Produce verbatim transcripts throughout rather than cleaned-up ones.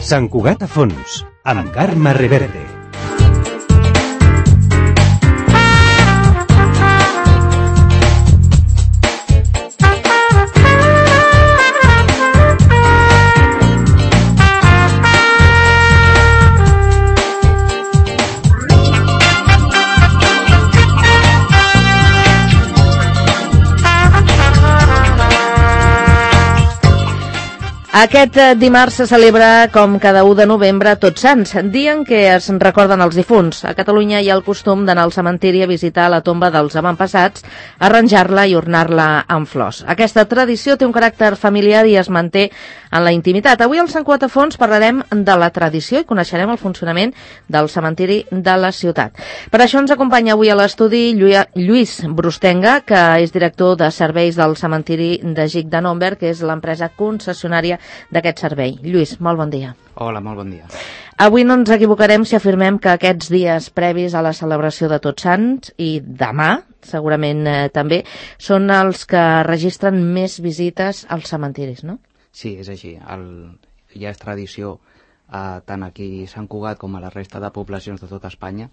Sant Cugat a fons, amb Carme Reverte. Aquest dimarts se celebra, com cada u de novembre, Tots Sants, dia en què es recorden els difunts. A Catalunya hi ha el costum d'anar al cementiri a visitar la tomba dels avantpassats, arranjar-la i ornar-la amb flors. Aquesta tradició té un caràcter familiar i es manté en la intimitat. Avui al Sant Cugat a fons parlarem de la tradició i coneixerem el funcionament del cementiri de la ciutat. Per això ens acompanya avui a l'estudi Lluís Brustenga, que és director de serveis del cementiri de Gic de Nòmber, que és l'empresa concessionària d'aquest servei. Lluís, molt bon dia. Hola, molt bon dia. Avui no ens equivocarem si afirmem que aquests dies previs a la celebració de Tots Sants i demà, segurament eh, també, són els que registren més visites als cementiris, no? Sí, és així. El... Ja és tradició, eh, tant aquí a Sant Cugat com a la resta de poblacions de tota Espanya,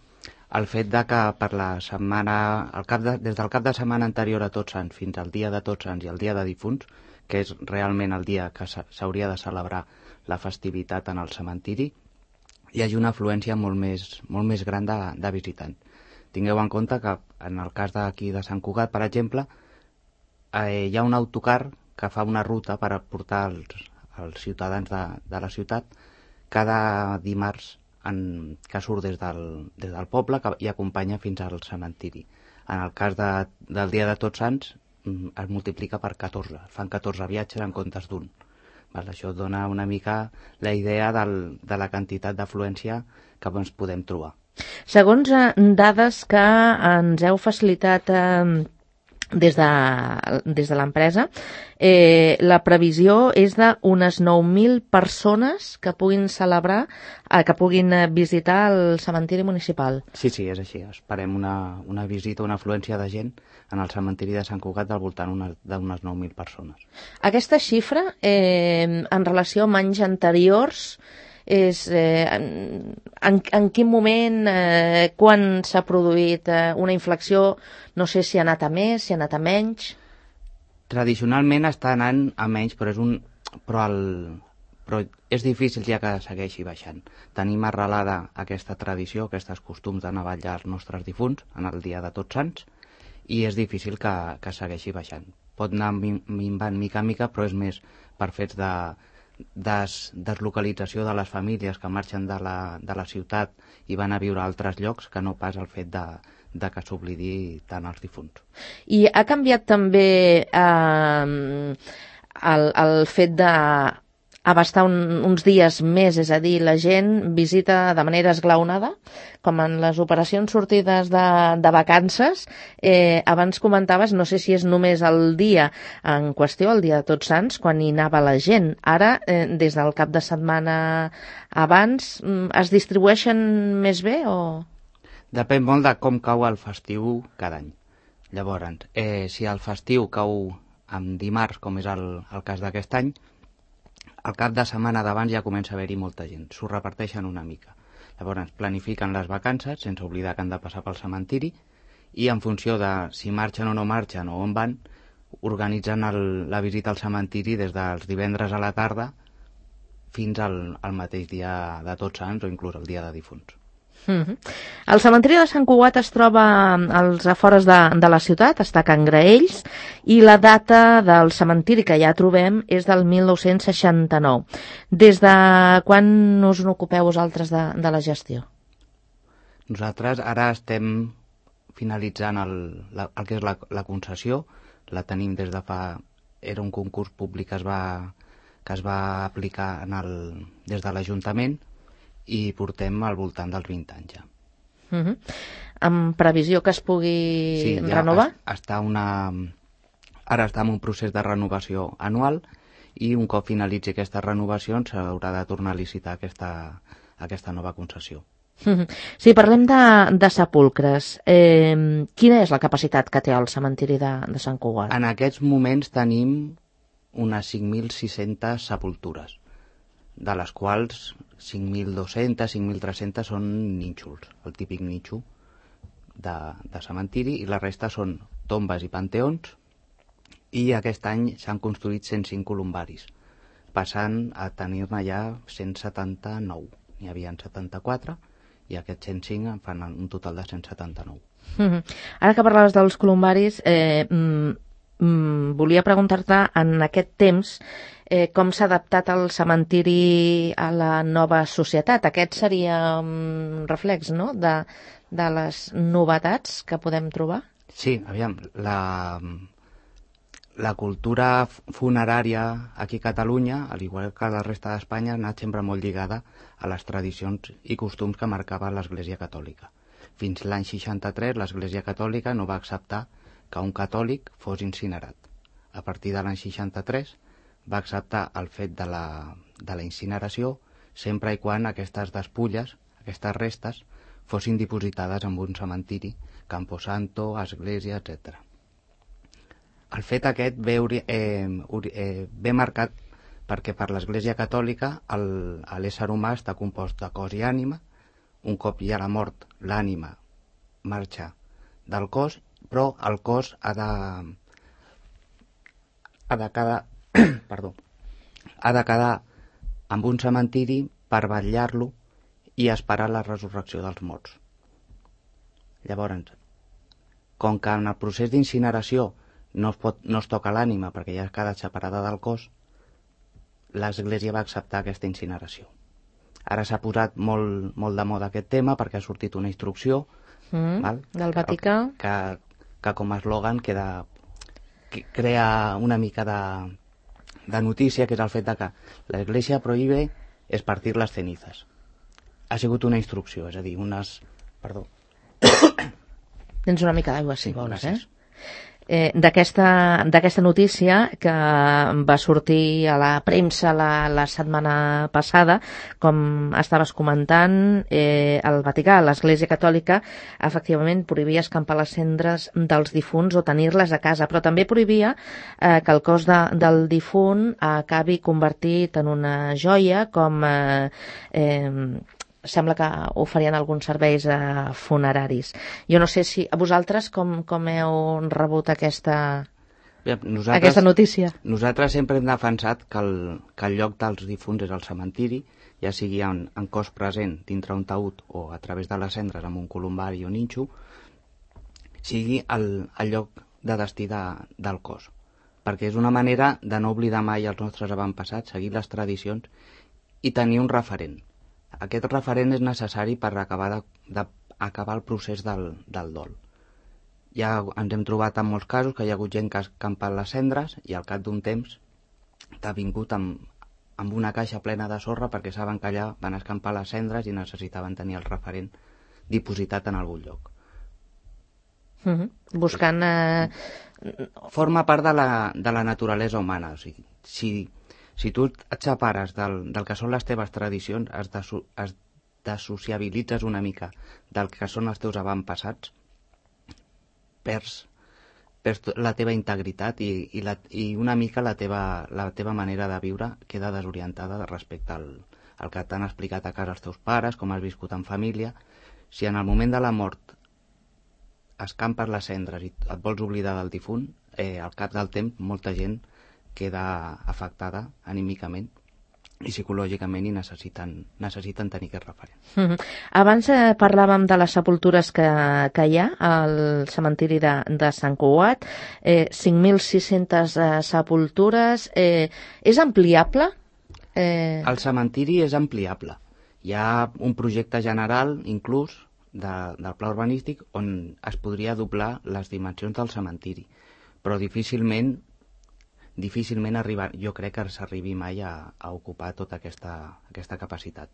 el fet de que per la setmana, el cap de, des del cap de setmana anterior a Tots Sants fins al dia de Tots Sants i el dia de difunts, que és realment el dia que s'hauria de celebrar la festivitat en el cementiri, hi hagi una afluència molt més, molt més gran de, de visitants. Tingueu en compte que en el cas d'aquí de Sant Cugat, per exemple, eh, hi ha un autocar que fa una ruta per portar els, els ciutadans de, de la ciutat cada dimarts en, que surt des del, des del poble que, i acompanya fins al cementiri. En el cas de, del dia de Tots Sants, es multiplica per catorze, fan catorze viatges en comptes d'un. Això dona una mica la idea del, de la quantitat d'afluència que ens podem trobar. Segons eh, dades que ens heu facilitat eh, des de, des de l'empresa, eh, la previsió és d'unes nou mil persones que puguin celebrar, eh, que puguin visitar el cementiri municipal. Sí, sí, és així. Esperem una, una visita, una afluència de gent en el cementiri de Sant Cugat al voltant d'unes nou mil persones. Aquesta xifra, eh, en relació amb anys anteriors, és eh, en, en quin moment, eh, quan s'ha produït eh, una inflexió, no sé si ha anat a més, si ha anat a menys? Tradicionalment està anant a menys, però és un però, el, però és difícil ja que segueixi baixant. Tenim arrelada aquesta tradició, aquests costums d'anar a ballar els nostres difunts en el dia de Tots Sants, i és difícil que, que segueixi baixant. Pot anar minvant mica a mica, però és més per fets de des, deslocalització de les famílies que marxen de la, de la ciutat i van a viure a altres llocs que no pas el fet de, de que s'oblidi tant els difunts. I ha canviat també eh, el, el fet de abastar un, uns dies més, és a dir, la gent visita de manera esglaonada, com en les operacions sortides de, de vacances. Eh, abans comentaves, no sé si és només el dia en qüestió, el dia de Tots Sants, quan hi anava la gent. Ara, eh, des del cap de setmana abans, es distribueixen més bé o...? Depèn molt de com cau el festiu cada any. Llavors, eh, si el festiu cau en dimarts, com és el, el cas d'aquest any, al cap de setmana d'abans ja comença a haver-hi molta gent, s'ho reparteixen una mica. Llavors planifiquen les vacances, sense oblidar que han de passar pel cementiri, i en funció de si marxen o no marxen o on van, organitzen el, la visita al cementiri des dels divendres a la tarda fins al, al mateix dia de Tots Sants o inclús el dia de difunts. Mm-hmm. El cementiri de Sant Cugat es troba als afores de, de la ciutat, està a Can Graells, i la data del cementiri que ja trobem és del mil nou-cents seixanta-nou. Des de quan us n'ocupeu vosaltres de, de la gestió? Nosaltres ara estem finalitzant el, la, el que és la, la concessió, la tenim des de fa... Era un concurs públic que es va, que es va aplicar en el, des de l'Ajuntament, i portem al voltant dels vint anys ja. Uh-huh. Amb previsió que es pugui sí, ja renovar? Es, està una... Ara està en un procés de renovació anual i un cop finalitzi aquesta renovació s'haurà de tornar a licitar aquesta, aquesta nova concessió. Si parlem de, de sepulcres, eh, quina és la capacitat que té el cementiri de, de Sant Cugat? En aquests moments tenim unes cinc mil sis-centes sepultures, de les quals cinc mil dos-centes, cinc mil tres-centes són nínxols, el típic nínxol de, de cementiri, i la resta són tombes i panteons, i aquest any s'han construït cent cinc columbaris, passant a tenir-ne ja cent setanta-nou. N'hi havia setanta-quatre, i aquests cent cinc en fan un total de cent setanta-nou. Mm-hmm. Ara que parlaves dels columbaris, eh, mm, mm, volia preguntar-te en aquest temps eh, com s'ha adaptat el cementiri a la nova societat. Aquest seria un reflex, no?, de, de les novetats que podem trobar? Sí, aviam, la, la cultura funerària aquí a Catalunya, al igual que la resta d'Espanya, ha anat sempre molt lligada a les tradicions i costums que marcava l'Església Catòlica. Fins l'any seixanta-tres l'Església Catòlica no va acceptar que un catòlic fos incinerat. A partir de l'any seixanta-tres va acceptar el fet de la, de la incineració sempre i quan aquestes despulles, aquestes restes, fossin dipositades en un cementiri, Camposanto, església, etcètera. El fet aquest ve, eh, eh, ve marcat perquè per l'Església Catòlica l'ésser humà està compost de cos i ànima. Un cop hi ha la mort, l'ànima marxa del cos, però el cos ha de, ha de quedar, perdó, ha de quedar amb un cementiri per vetllar-lo i esperar la resurrecció dels morts. Llavors, com que en el procés d'incineració no es, pot, no es toca l'ànima perquè ja ha quedat separada del cos, l'Església va acceptar aquesta incineració. Ara s'ha posat molt, molt de moda aquest tema perquè ha sortit una instrucció mm, val? del Vaticà que, que, que com a eslògan queda, que crea una mica de, de notícia, que és el fet de que l'Església prohíbe espartir les cenizas. Ha sigut una instrucció, és a dir, unes... Perdó. Tens una mica d'aigua, si sí, vols, gràcies. eh? Eh, d'aquesta d'aquesta notícia que va sortir a la premsa la, la setmana passada, com estaves comentant, eh, el Vaticà, l'Església Catòlica, efectivament prohibia escampar les cendres dels difunts o tenir-les a casa, però també prohibia eh, que el cos de, del difunt acabi convertit en una joia, com eh, eh, sembla que oferien alguns serveis eh, funeraris. Jo no sé si a vosaltres com, com heu rebut aquesta, Bé, nosaltres, aquesta notícia. Nosaltres sempre hem defensat que el, que el lloc dels difunts és el cementiri, ja sigui en, en cos present dintre un taüt o a través de les cendres amb un columbari o nínxol, sigui el, el lloc de destí de, del cos. Perquè és una manera de no oblidar mai els nostres avantpassats, seguir les tradicions i tenir un referent. Aquest referent és necessari per acabar, de, de, acabar el procés del, del dol. Ja ens hem trobat en molts casos que hi ha hagut gent que ha escampat les cendres i al cap d'un temps t'ha vingut amb, amb una caixa plena de sorra perquè saben que allà van escampar les cendres i necessitaven tenir el referent dipositat en algun lloc. Mm-hmm. Buscant... Eh... Forma part de la, de la naturalesa humana. O sigui, si... Si tu et separes del, del que són les teves tradicions, es, deso, es desociabilitzes una mica del que són els teus avantpassats, perds, perds la teva integritat i, i, la, i una mica la teva, la teva manera de viure queda desorientada respecte al, al que t'han explicat a casa els teus pares, com has viscut en família. Si en el moment de la mort escampes les cendres i et vols oblidar del difunt, eh, al cap del temps molta gent queda afectada anímicament i psicològicament i necessiten, necessiten tenir aquest referent. Mm-hmm. Abans eh, parlàvem de les sepultures que, que hi ha al cementiri de, de Sant Cugat, eh, cinc mil sis-centes eh, sepultures. Eh, és ampliable? Eh... El cementiri és ampliable. Hi ha un projecte general, inclús, de, del pla urbanístic, on es podria doblar les dimensions del cementiri, però difícilment difícilment arribar, jo crec que s'arribi mai a, a ocupar tota aquesta, aquesta capacitat.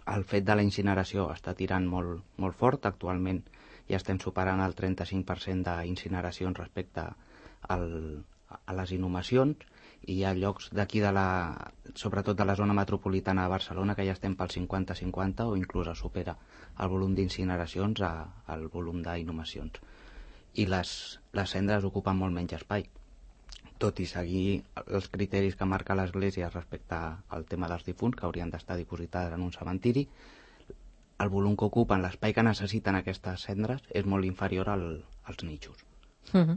El fet de la incineració està tirant molt, molt fort. Actualment ja estem superant el trenta-cinc per cent d'incineracions respecte al, a les inhumacions hi ha llocs d'aquí, de la, sobretot de la zona metropolitana de Barcelona, que ja estem pel cinquanta cinquanta o inclús es supera el volum d'incineracions al volum d'inhumacions. I les, les cendres ocupen molt menys espai, tot i seguir els criteris que marca l'Església respecte al tema dels difunts, que haurien d'estar dipositades en un cementiri. El volum que ocupen, l'espai que necessiten aquestes cendres, és molt inferior al, als nitxos. Uh-huh.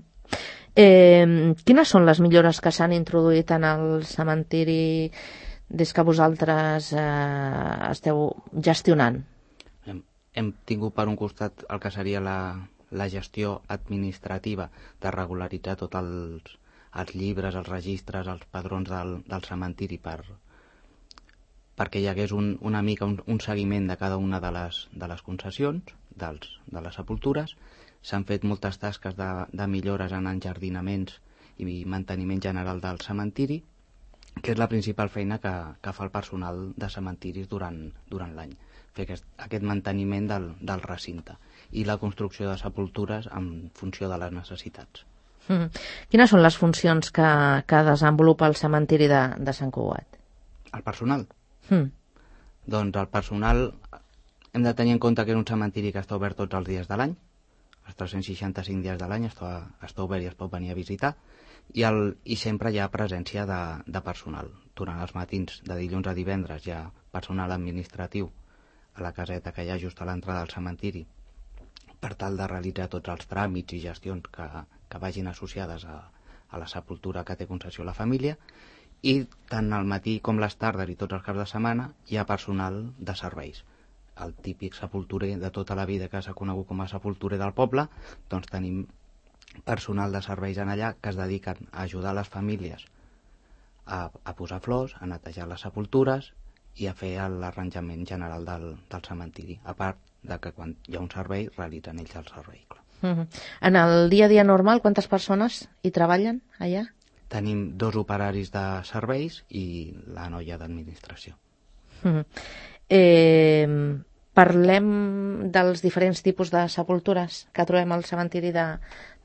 eh, quines són les millores que s'han introduït en el cementiri des que vosaltres eh, esteu gestionant? Hem, hem tingut per un costat el que seria la, la gestió administrativa de regularitzar tots els, els llibres, els registres, els padrons del, del cementiri per, perquè hi hagués un, una mica un, un seguiment de cada una de les, de les concessions, dels, de les sepultures. S'han fet moltes tasques de, de millores en enjardinaments i manteniment general del cementiri, que és la principal feina que, que fa el personal de cementiris durant, durant l'any, fer aquest, aquest manteniment del, del recinte i la construcció de sepultures en funció de les necessitats. Mm. Quines són les funcions que, que desenvolupa el cementiri de, de Sant Cugat? El personal? Mm. Doncs el personal hem de tenir en compte que és un cementiri que està obert tots els dies de l'any, els tres-cents seixanta-cinc dies de l'any està, està obert i es pot venir a visitar, i, el, i sempre hi ha presència de, de personal. Durant els matins, de dilluns a divendres, hi ha personal administratiu a la caseta que hi ha just a l'entrada del cementiri per tal de realitzar tots els tràmits i gestions que, que vagin associades a, a la sepultura que té concessió la família, i tant al matí com les tardes i tots els caps de setmana hi ha personal de serveis. El típic sepulturer de tota la vida que s'ha conegut com a sepulturer del poble, doncs tenim personal de serveis en allà que es dediquen a ajudar les famílies a, a posar flors, a netejar les sepultures i a fer l'arranjament general del, del cementiri, a part de que quan hi ha un servei realitzen ells el servei. Mm-hmm. En el dia a dia normal, quantes persones hi treballen allà? Tenim dos operaris de serveis i la noia d'administració. Mm-hmm. Eh, parlem dels diferents tipus de sepultures que trobem al cementiri de,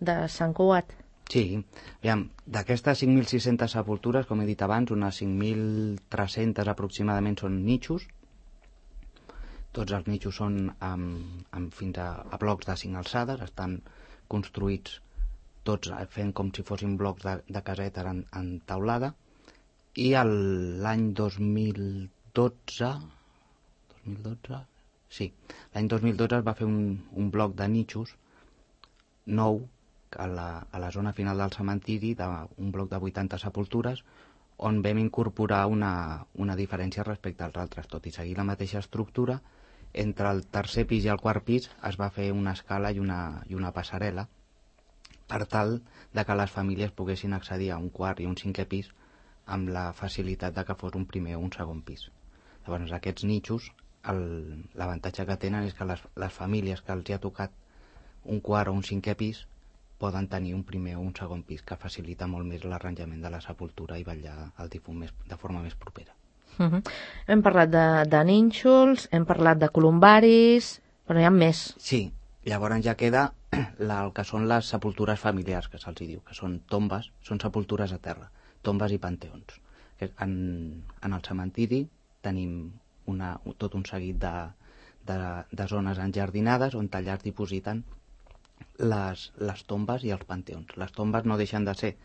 de Sant Cugat. Sí, aviam, d'aquestes cinc mil sis-centes sepultures, com he dit abans, unes cinc mil tres-centes aproximadament són nichos. Tots els nichos són amb, amb fins a, a blocs de cinc alçades, estan construïts tots fent com si fossin blocs de, de caseta en, en taulada, i l'any dos mil dotze, dos mil dotze, sí, l'any dos mil dotze es va fer un, un bloc de nichos nou a la, a la zona final del cementiri, de, un bloc de vuitanta sepultures, on vam incorporar una, una diferència respecte als altres, tot i seguir la mateixa estructura. Entre el tercer pis i el quart pis es va fer una escala i una, i una passarel·la per tal de que les famílies poguessin accedir a un quart i un cinquè pis amb la facilitat de que fos un primer o un segon pis. Llavors, aquests nichos, l'avantatge que tenen és que les, les famílies que els hi ha tocat un quart o un cinquè pis poden tenir un primer o un segon pis, que facilita molt més l'arranjament de la sepultura i vetllar el difunt més, de forma més propera. Uh-huh. Hem parlat de, de nínxols, hem parlat de columbaris, però n'hi ha més. Sí, llavors ja queda la, el que són les sepultures familiars, que se'ls diu, que són tombes, són sepultures a terra, tombes i panteons. En, en el cementiri tenim una, tot un seguit de, de, de zones enjardinades on allà es dipositen les, les tombes i els panteons. Les tombes no deixen de ser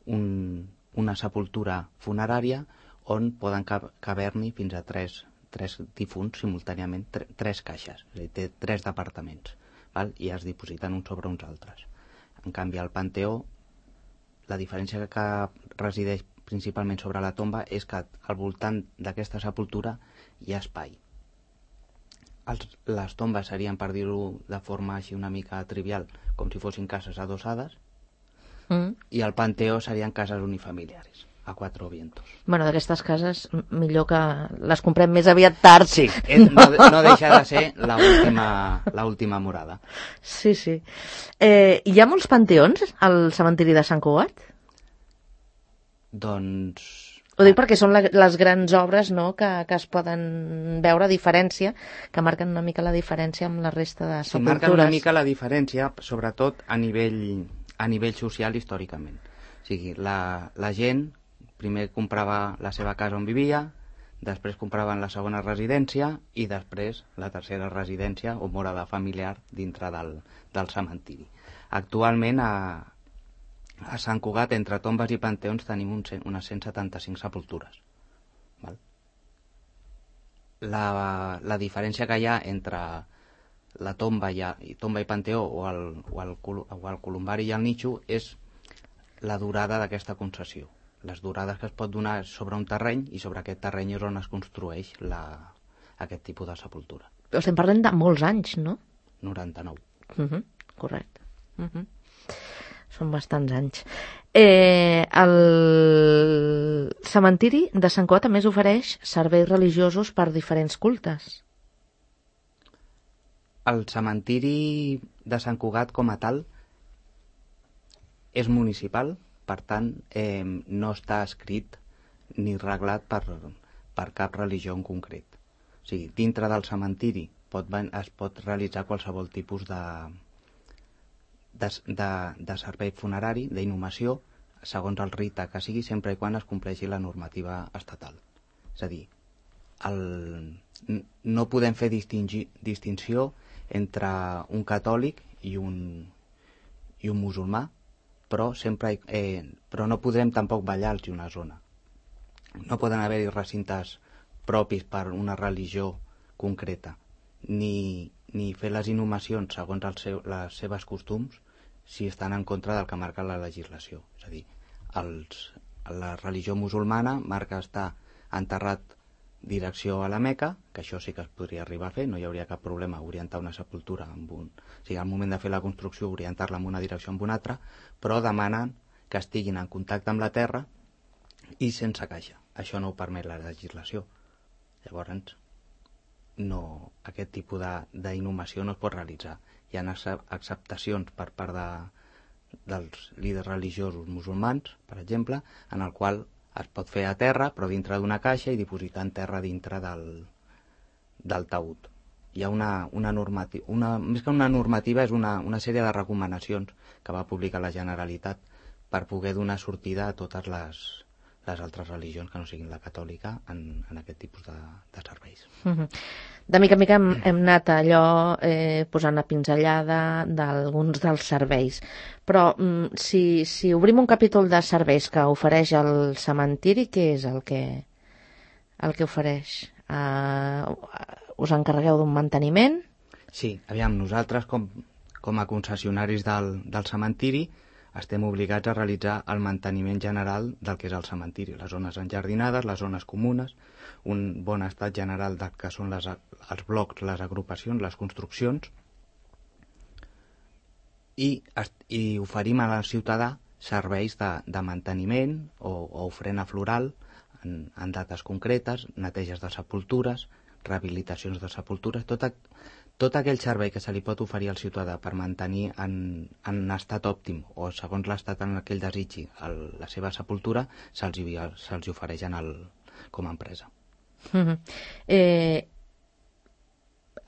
un, una sepultura funerària on poden caber-n'hi fins a tres, tres difunts simultàniament, tre, tres caixes, és a dir, té tres departaments, val? I es dipositen uns sobre uns altres. En canvi, al panteó, la diferència que resideix principalment sobre la tomba és que al voltant d'aquesta sepultura hi ha espai. Els, les tombes serien, per dir-ho de forma així una mica trivial, com si fossin cases adossades, mm. i el panteó serien cases unifamiliares, a quatre vientos. Bueno, d'aquestes cases, millor que les comprem més aviat tard. Sí, no, no deixa de ser l'última morada. Sí, sí. Eh, hi ha molts panteons al cementiri de Sant Cugat? Doncs... Ho dic perquè són la, les grans obres, no?, que, que es poden veure, diferència, que marquen una mica la diferència amb la resta de sepultures. Sí, marquen una mica la diferència, sobretot a nivell, a nivell social històricament. O sigui, la, la gent, primer comprava la seva casa on vivia, després compraven la segona residència i després la tercera residència o morada familiar dintre del, del cementiri. Actualment a, a Sant Cugat, entre tombes i panteons, tenim un, unes cent setanta-cinc sepultures. Val? La, la diferència que hi ha entre la tomba i, i, tomba i panteó o el, o, el, o el columbari i el nitxo és la durada d'aquesta concessió. Les durades que es pot donar sobre un terreny i sobre aquest terreny és on es construeix la, aquest tipus de sepultura. Però estem parlant de molts anys, no? noranta-nou. Uh -huh, correcte. Uh -huh. Són bastants anys. Eh, el cementiri de Sant Cugat també ofereix serveis religiosos per diferents cultes. El cementiri de Sant Cugat com a tal és municipal, per tant, eh, no està escrit ni reglat per, per cap religió en concret. O sigui, dintre del cementiri pot, es pot realitzar qualsevol tipus de, de, de, de servei funerari, d'inhumació, segons el rite que sigui, sempre i quan es compleixi la normativa estatal. És a dir, el, no podem fer distingir, distinció entre un catòlic i un, i un musulmà, però sempre eh, però no podrem tampoc ballar-los una zona. No poden haver-hi recintes propis per una religió concreta, ni, ni fer les inhumacions segons el seu, les seves costums si estan en contra del que marca la legislació. És a dir, els, la religió musulmana marca estar enterrat direcció a la Meca, que això sí que es podria arribar a fer, no hi hauria cap problema orientar una sepultura amb un... O sigui, al moment de fer la construcció orientar-la en una direcció o en una altra, però demanen que estiguin en contacte amb la terra i sense caixa. Això no ho permet la legislació. Llavors, no, aquest tipus d'inhumació no es pot realitzar. Hi ha acceptacions per part de, dels líders religiosos musulmans, per exemple, en el qual es pot fer a terra, però dintre d'una caixa i dipositar en terra dintre del, del taüt. Hi ha una, una normativa, una, més que una normativa, és una, una sèrie de recomanacions que va publicar la Generalitat per poder donar sortida a totes les, les altres religions que no siguin la catòlica en, en aquest tipus de, de serveis. Uh-huh. De mica en mica hem, hem anat allò eh, posant la pinzellada d'alguns dels serveis. Però mm, si, si obrim un capítol de serveis que ofereix el cementiri, què és el que, el que ofereix? Uh, us encarregueu d'un manteniment? Sí, aviam, nosaltres com, com a concessionaris del, del cementiri estem obligats a realitzar el manteniment general del que és el cementiri, les zones enjardinades, les zones comunes, un bon estat general del que són les, els blocs, les agrupacions, les construccions, i, i oferim al ciutadà serveis de, de manteniment o, o ofrena floral en, en dates concretes, neteges de sepultures, rehabilitacions de sepultures, tot, tot aquell servei que se li pot oferir al ciutadà per mantenir en, en estat òptim o segons l'estat en què ell desitgi el, la seva sepultura, se'ls se ofereix en el, com a empresa. Uh-huh. Eh,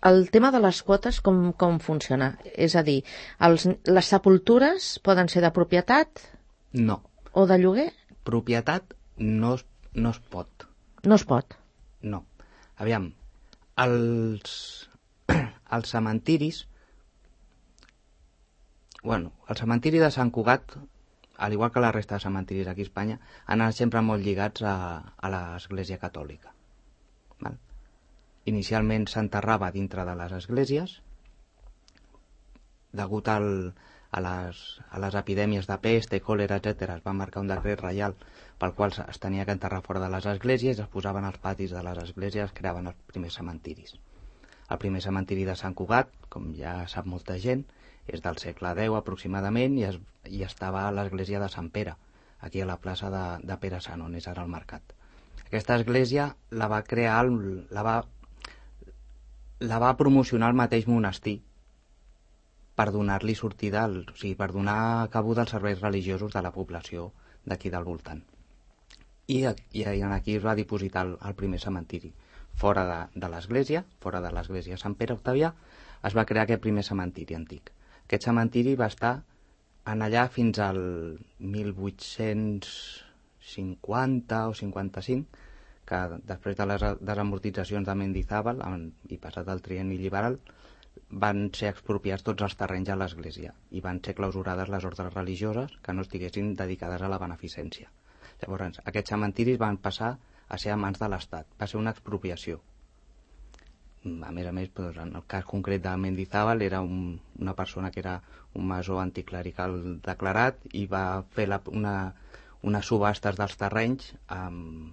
el tema de les quotes com, com funciona? És a dir, els, les sepultures poden ser de propietat? No. O de lloguer? Propietat no es, no es pot. No es pot? No. Aviam, els, els cementiris, bueno, el cementiri de Sant Cugat, al igual que la resta de cementiris aquí a Espanya, han anat sempre molt lligats a, a l'Església Catòlica. Val? Inicialment s'enterrava dintre de les esglésies, degut al, a, les, a les epidèmies de peste, còlera, etcètera, es va marcar un decret reial pel qual es tenia que enterrar fora de les esglésies, es posaven als patis de les esglésies, es creaven els primers cementiris. El primer cementiri de Sant Cugat, com ja sap molta gent, és del segle deu aproximadament i, es, i estava a l'església de Sant Pere, aquí a la plaça de, de Pere Sant, on és ara el mercat. Aquesta església la va crear, la va, la va promocionar el mateix monestir per donar-li sortida, al, o sigui, per donar cabuda als serveis religiosos de la població d'aquí del voltant. I, i aquí es va dipositar el, el primer cementiri. Fora de, de l'església, fora de l'església Sant Pere Octavià, es va crear aquest primer cementiri antic. Aquest cementiri va estar en allà fins al mil vuit-cents cinquanta o cinquanta-cinc, que després de les desamortitzacions de Mendizábal i passat el trienni liberal van ser expropiats tots els terrenys a l'Església i van ser clausurades les ordres religioses que no estiguessin dedicades a la beneficència. Llavors, aquests cementiris van passar a ser a mans de l'Estat. Va ser una expropiació. A més a més, doncs, en el cas concret de Mendizábal, era un, una persona que era un masó anticlerical declarat i va fer la, una, unes subhastes dels terrenys amb,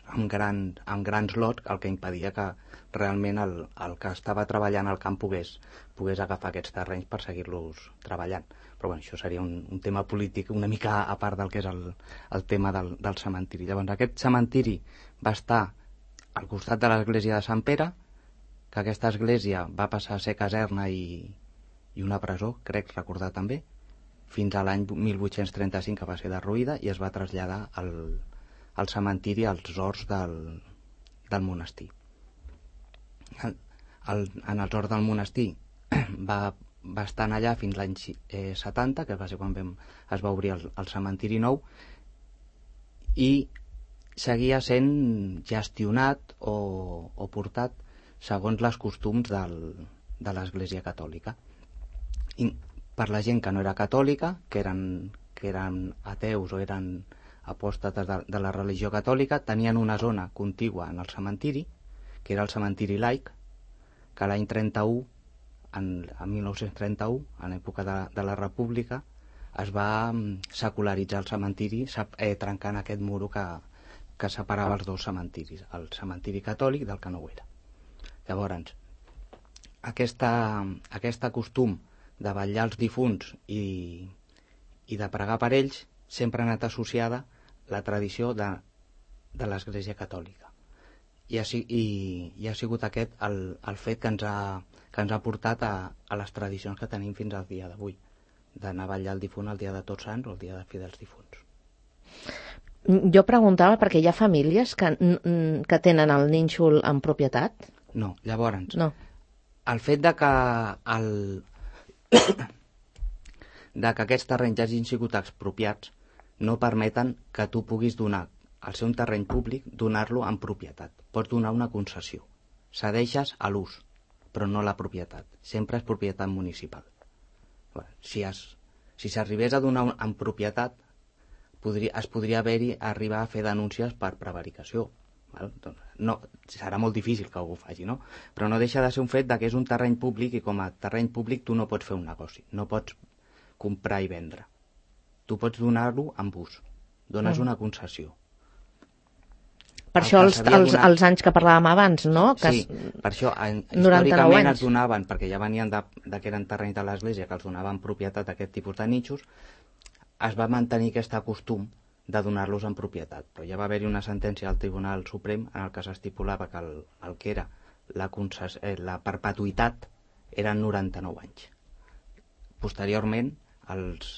amb, gran, amb grans lots, el que impedia que realment el, el que estava treballant al camp pogués, pogués agafar aquests terrenys per seguir-los treballant. Però bueno, això seria un, un tema polític una mica a part del que és el, el tema del, del cementiri. Llavors, aquest cementiri va estar al costat de l'església de Sant Pere, que aquesta església va passar a ser caserna i, i una presó, crec recordar també, fins a l'any mil vuit-cents trenta-cinc, que va ser derruïda, i es va traslladar al, al cementiri als horts del, del monestir. El, el, en els horts del monestir va, va estar allà fins l'any eh, setanta, que va ser quan vam, es va obrir el, el cementiri nou, i seguia sent gestionat o, o portat segons les costums del, de l'Església Catòlica. I per la gent que no era catòlica, que eren, que eren ateus o eren apòstates de, de la religió catòlica, tenien una zona contigua en el cementiri, que era el cementiri laic, que l'any trenta-u, en, en mil nou-cents trenta-u, en l'època de, de la República, es va secularitzar el cementiri, eh, trencant aquest muro que, que separava els dos cementiris, el cementiri catòlic del que no ho era. Llavors, aquesta, aquesta costum de vetllar els difunts i, i de pregar per ells sempre ha anat associada la tradició de, de l'Església Catòlica. I ha, i, i ha sigut aquest el, el fet que ens ha, que ens ha portat a, a les tradicions que tenim fins al dia d'avui, d'anar a vetllar el difunt el dia de Tots Sants o el dia de Fi dels Difunts. Jo preguntava perquè hi ha famílies que, que tenen el nínxol en propietat? No, llavors, no. El fet de que, el... de que aquests terrenys hagin sigut expropiats no permeten que tu puguis donar al ser un terreny públic, donar-lo en propietat. Pots donar una concessió. Cedeixes a l'ús, però no la propietat. Sempre és propietat municipal. Si es, si s'arribés a donar en propietat, podria, es podria haver-hi arribar a fer denúncies per prevaricació. No, serà molt difícil que algú ho faci, no? Però no deixa de ser un fet de que és un terreny públic i com a terreny públic tu no pots fer un negoci, no pots comprar i vendre. Tu pots donar-lo amb ús, dones mm. una concessió. Per el això els, els, donat... els anys que parlàvem abans, no? Que sí, es... per això en, històricament es donaven, perquè ja venien de, de que eren terrenys de l'Església, que els donaven propietat a aquest tipus de nitxos, es va mantenir aquest costum de donar-los en propietat. Però ja va haver-hi una sentència al Tribunal Suprem en el que s'estipulava que el, el que era la, concess... eh, la perpetuïtat eren noranta-nou anys. Posteriorment, els,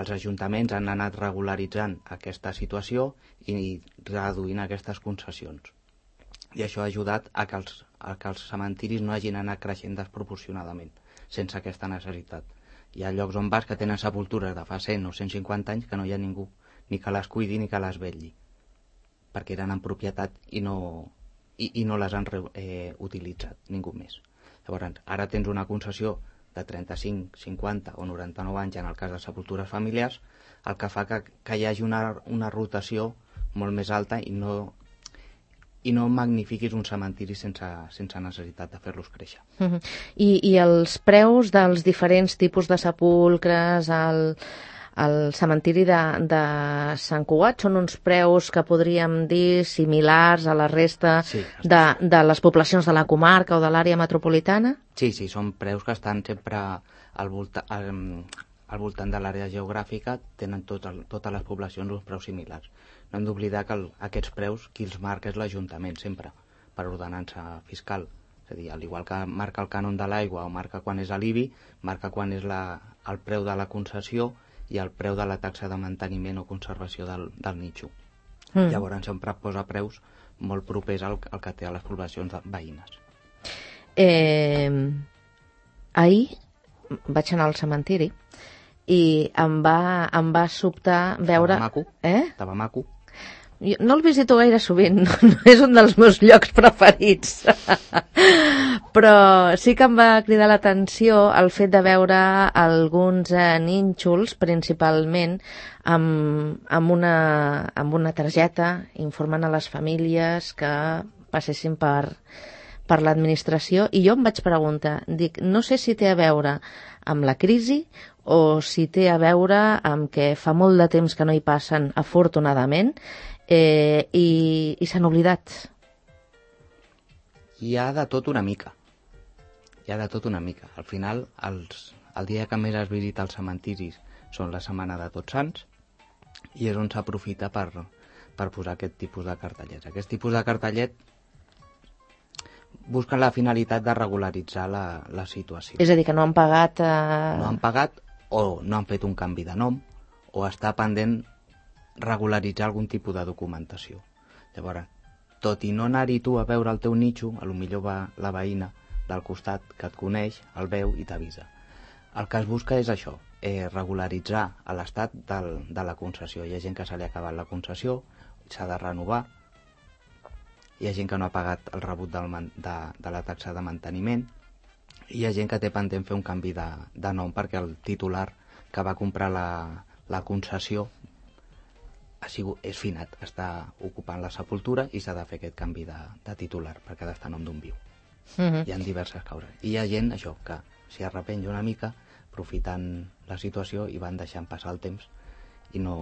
els ajuntaments han anat regularitzant aquesta situació i reduint aquestes concessions. I això ha ajudat a que els, a que els cementiris no hagin anat creixent desproporcionadament, sense aquesta necessitat. Hi ha llocs on vas que tenen sepultures de fa cent o cent cinquanta anys que no hi ha ningú, ni que les cuidi ni que les vetlli, perquè eren en propietat i no, i, i no les han eh, utilitzat ningú més. Llavors, ara tens una concessió de trenta-cinc, cinquanta o noranta-nou anys en el cas de sepultures familiars, el que fa que, que hi hagi una, una rotació molt més alta i no, i no magnifiquis un cementiri sense, sense necessitat de fer-los créixer. Uh-huh. I, I els preus dels diferents tipus de sepulcres, el... El cementiri de, de Sant Cugat són uns preus que podríem dir similars a la resta sí, de, de les poblacions de la comarca o de l'àrea metropolitana? Sí, sí, són preus que estan sempre al, volta, al, al voltant de l'àrea geogràfica, tenen tot el, totes les poblacions uns preus similars. No hem d'oblidar que el, aquests preus qui els marca és l'Ajuntament sempre, per ordenança fiscal. És a dir, al igual que marca el cànon de l'aigua o marca quan és l'I B I, marca quan és la, el preu de la concessió i el preu de la taxa de manteniment o conservació del, del nitxo. Mm. Llavors sempre posa preus molt propers al, al que té a les poblacions veïnes. Eh, ahir vaig anar al cementiri i em va, em va sobtar veure... Estava maco. Eh? Estava maco. Jo no el visito gaire sovint, no és un dels meus llocs preferits. Però sí que em va cridar l'atenció el fet de veure alguns eh, nínxols, principalment, amb, amb, una, amb una targeta informant a les famílies que passessin per, per l'administració, i jo em vaig preguntar, dic, no sé si té a veure amb la crisi o si té a veure amb que fa molt de temps que no hi passen, afortunadament, eh, i, i s'han oblidat. Hi ha de tot una mica. Hi ha de tot una mica. Al final, els, el dia que més es visita als cementiris són la setmana de Tots Sants, i és on s'aprofita per, per posar aquest tipus de cartellets. Aquest tipus de cartellet busquen la finalitat de regularitzar la, la situació. És a dir, que no han pagat... Eh... No han pagat o no han fet un canvi de nom o està pendent regularitzar algun tipus de documentació. Llavors, tot i no anar-hi tu a veure el teu nitxo, a lo millor va la veïna del costat que et coneix, el veu i t'avisa. El que es busca és això, eh, regularitzar l'estat del, de la concessió. Hi ha gent que se li ha acabat la concessió, s'ha de renovar, hi ha gent que no ha pagat el rebut del, de, de la taxa de manteniment, i hi ha gent que té pendent fer un canvi de, de nom perquè el titular que va comprar la, la concessió ha sigut, és finat, està ocupant la sepultura i s'ha de fer aquest canvi de, de titular perquè ha d'estar a nom d'un viu. Uh-huh. Hi ha diverses causes. I hi ha gent, això, que s'hi arrepenja una mica aprofitant la situació i van deixant passar el temps i no...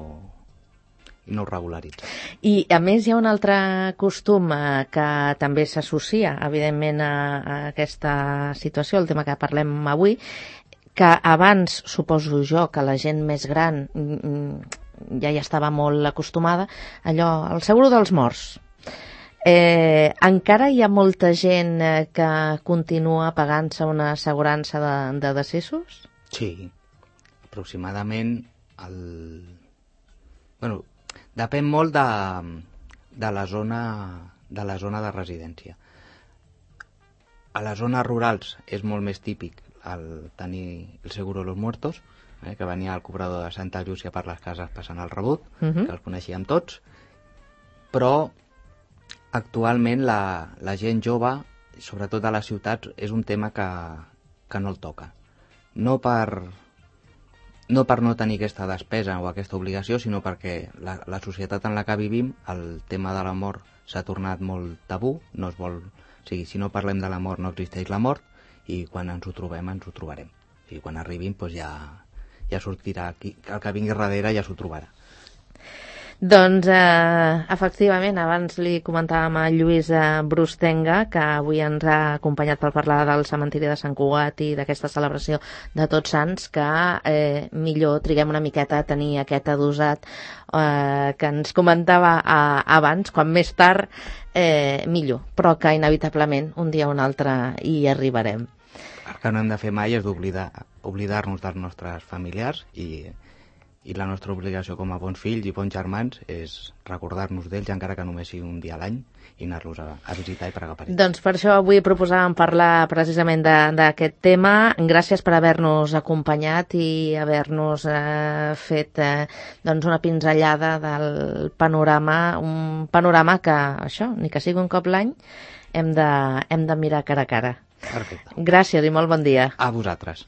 i no ho regularitza. I, a més, hi ha un altre costum eh, que també s'associa, evidentment, a, a aquesta situació, el tema que parlem avui, que abans, suposo jo, que la gent més gran mm, ja hi estava molt acostumada, allò, el seguro dels morts. Eh, encara hi ha molta gent eh, que continua pagant-se una assegurança de, de decessos? Sí, aproximadament el... Bueno, depèn molt de, de, la zona, de la zona de residència. A les zones rurals és molt més típic el tenir el seguro de los muertos, eh, que venia el cobrador de Santa Llúcia per les cases passant el rebut, uh-huh. que els coneixíem tots, però actualment la, la gent jove, sobretot a les ciutats, és un tema que, que no el toca. No per... no per no tenir aquesta despesa o aquesta obligació, sinó perquè la, la societat en la que vivim, el tema de la mort s'ha tornat molt tabú, no es vol... O sigui, si no parlem de la mort no existeix la mort, i quan ens ho trobem, ens ho trobarem. O sigui, quan arribin, doncs ja, ja sortirà, qui, el que vingui darrere ja s'ho trobarà. Doncs, eh, efectivament, abans li comentàvem a Lluís eh, Brustenga, que avui ens ha acompanyat per parlar del cementiri de Sant Cugat i d'aquesta celebració de Tots Sants, que eh, millor triguem una miqueta a tenir aquest adosat eh, que ens comentava eh, abans, quan més tard eh, millor, però que inevitablement un dia o un altre hi arribarem. El que no hem de fer mai és d'oblidar oblidar-nos dels nostres familiars i... i la nostra obligació com a bons fills i bons germans és recordar-nos d'ells, encara que només sigui un dia a l'any, i anar-los a, a visitar i pregar per ells. Doncs per això avui proposàvem parlar precisament d'aquest tema. Gràcies per haver-nos acompanyat i haver-nos eh, fet eh, doncs una pinzellada del panorama, un panorama que, això, ni que sigui un cop l'any, hem de, hem de mirar cara a cara. Perfecte. Gràcies i molt bon dia. A vosaltres.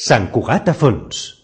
Sant Cugat a fons.